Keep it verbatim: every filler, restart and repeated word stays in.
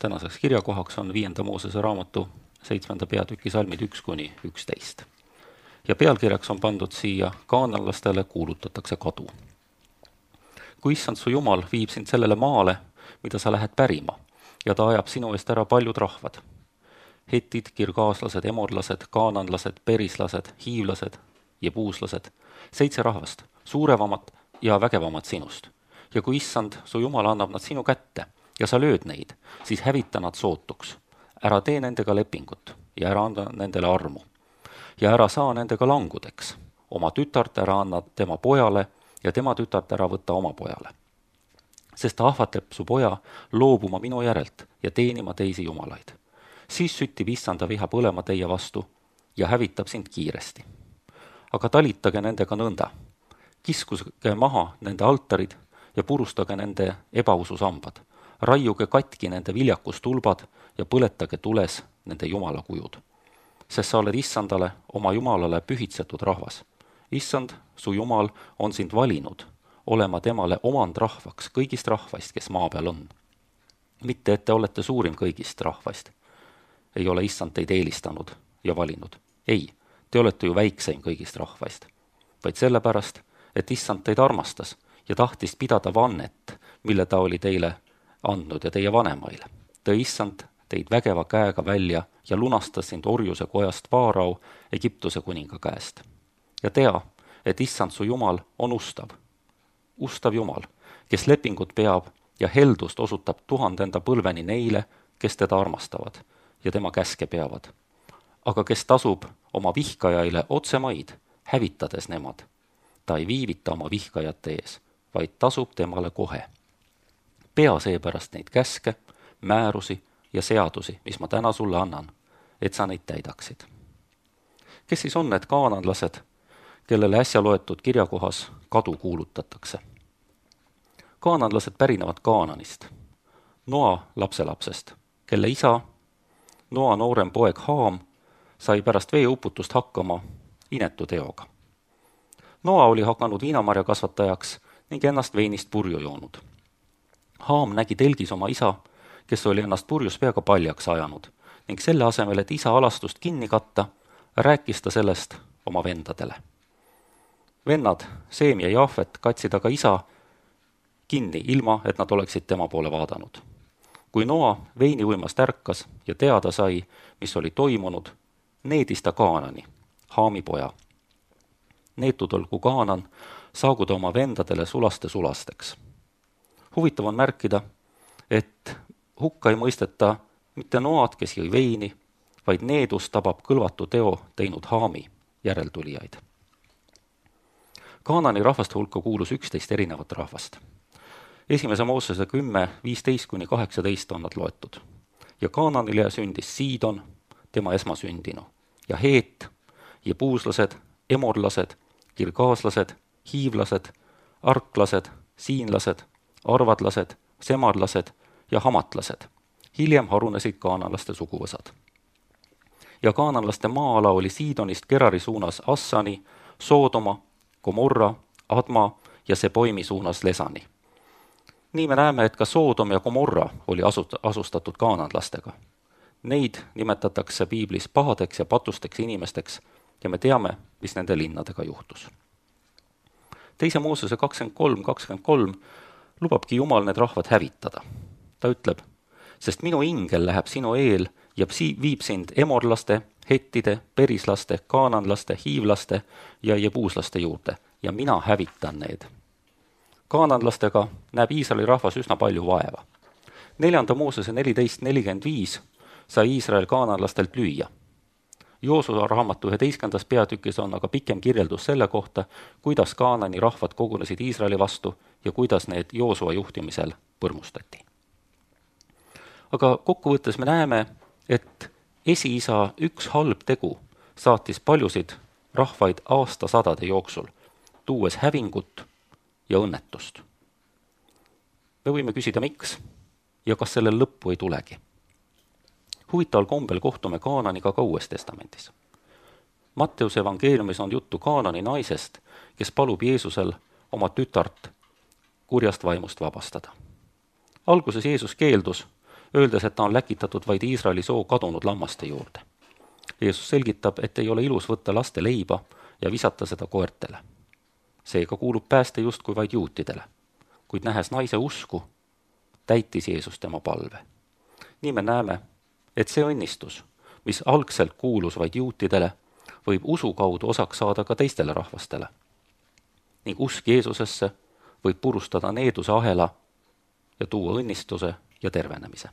Tänaseks kirjakohaks on viienda Moosese raamatu seitsmenda peatüki salmid üks kuni üksteist. Ja pealkirjaks on pandud siia kaananlastele kuulutatakse kadu. Kui issand su Jumal viib sind sellele maale, mida sa lähed pärima, ja ta ajab sinu eest ära paljud rahvad. Hetid, kirgaaslased, emorlased, kaananlased, perislased, hiivlased, jebuuslased, seitse rahvast, suurevamat ja vägevamat sinust. Ja kui issand su Jumal annab nad sinu kätte, ja sa lööd neid, siis hävita nad sootuks. Ära tee nendega lepingut ja ära anda nendele armu. Ja ära saa nendega langudeks. Oma tütart ära anna tema pojale ja tema tütart ära võtta oma pojale. Sest ta ahvatleb su poja loobuma minu järelt ja teenima teisi jumalaid. Siis süttib issanda viha põlema teie vastu ja hävitab sind kiiresti. Aga talitage nendega nõnda. Kiskuge maha nende altarid ja purustage nende ebaususambad. Raiuge katki nende viljakustulbad ja põletage tules nende jumala kujud. Sest sa oled issandale, oma jumalale pühitsetud rahvas. Issand, su jumal, on sind valinud, olema temale omand rahvaks kõigist rahvaist, kes maa peal on. Mitte, et te olete suurim kõigist rahvaist. Ei ole issand teid eelistanud ja valinud. Ei, te olete ju väikseim kõigist rahvaist. Vaid sellepärast, et issand teid armastas ja tahtis pidada vannet, mille ta oli teile andnud ja teie vanemaile. Tõi issand teid vägeva käega välja ja lunastas sind orjuse kojast Vaarau Egiptuse kuninga käest. Ja tea, et issand su Jumal on ustav. Ustav Jumal, kes lepingut peab ja heldust osutab tuhandenda põlveni neile, kes teda armastavad ja tema käske peavad. Aga kes tasub oma vihkajaile otsemaid, hävitades nemad. Ta ei viivita oma vihkajate ees, vaid tasub temale kohe. Pea seepärast neid käske, määrusi ja seadusi, mis ma täna sulle annan, et sa neid täidaksid. Kes siis on need kaananlased, kellele äsja loetud kirjakohas kadu kuulutatakse? Kaananlased pärinevad Kaananist, Noa lapselapsest, kelle isa, Noa noorem poeg Haam, sai pärast veeuputust hakkama inetu teoga. Noa oli hakanud viinamarja kasvatajaks ning ennast veinist purju joonud. Haam nägi telgis oma isa, kes oli ennast purjus peaga paljaks ajanud ning selle asemel, et isa alastust kinni katta, rääkis ta sellest oma vendadele. Vennad, Seem ja Jaafet, katsid aga isa kinni, ilma et nad oleksid tema poole vaadanud. Kui Noa veini uimast ärkas ja teada sai, mis oli toimunud, needis ta Kaanani, Haami poja. Neetud olgu Kaanan, saagu ta oma vendadele sulaste sulasteks. Huvitav on märkida, et hukka ei mõisteta mitte Noad, kes jõi veini, vaid needus tabab kõlvatu teo teinud Haami järeltulijaid. Kaanani rahvaste hulka kuulus üksteist erinevat rahvast. Esimese Moosese kümme, viisteist kuni kaheksateist on nad loetud. Ja Kaananile sündis Siidon, tema esmasündinu, ja Heet, jebuuslased, emorlased, kirgaaslased, hiivlased, arklased, siinlased, arvadlased, semarlased ja hamatlased. Hiljem harunesid kaananlaste suguvõsad. Ja kaananlaste maa-ala oli Siidonist Gerari suunas Assani, Soodoma, Gomorra, Adma ja Seboimi suunas Lesani. Nii me näeme, et ka Soodom ja Gomorra oli asustatud kaananlastega. Neid nimetatakse piiblis pahadeks ja patusteks inimesteks ja me teame, mis nende linnadega juhtus. Teise Moosese kakskümmend kolm kakskümmend kolm lubabki Jumal need rahvad hävitada. Ta ütleb, sest minu ingel läheb sinu eel ja viib sind emorlaste, hettide, perislaste, kaananlaste, hiivlaste ja jebuuslaste juurde ja mina hävitan need. Kaananlastega näeb Iisraeli rahvas üsna palju vaeva. Neljanda Moosese neliteist nelikümmend viis sai Iisrael kaananlastelt lüüa. Joosua raamatu üheteistkümnendas peatükis on aga pikem kirjeldus selle kohta, kuidas Kaanani rahvad kogunesid Iisraeli vastu ja kuidas need Joosua juhtimisel põrmustati. Aga kokkuvõttes me näeme, et esiisa üks halb tegu saatis paljusid rahvaid aastasadade jooksul, tuues hävingut ja õnnetust. Me võime küsida, miks ja kas sellel lõppu ei tulegi. Huvitaval kombel kohtume Kaananiga ka Uues testamendis. Matteuse evangeeliumis on juttu Kaanani naisest, kes palub Jeesusel oma tütart kurjast vaimust vabastada. Alguses Jeesus keeldus, öeldes, et ta on läkitatud vaid Iisraeli soo kadunud lammaste juurde. Jeesus selgitab, et ei ole ilus võtta laste leiba ja visata seda koertele. Seega kuulub pääste justkui vaid juutidele, kuid nähes naise usku, täitis Jeesus tema palve. Nii me näeme, et see õnnistus, mis algselt kuulus vaid juutidele, võib usu kaudu osaks saada ka teistele rahvastele. Ning usk Jeesusesse võib purustada needuse ahela ja tuua õnnistuse ja tervenemise.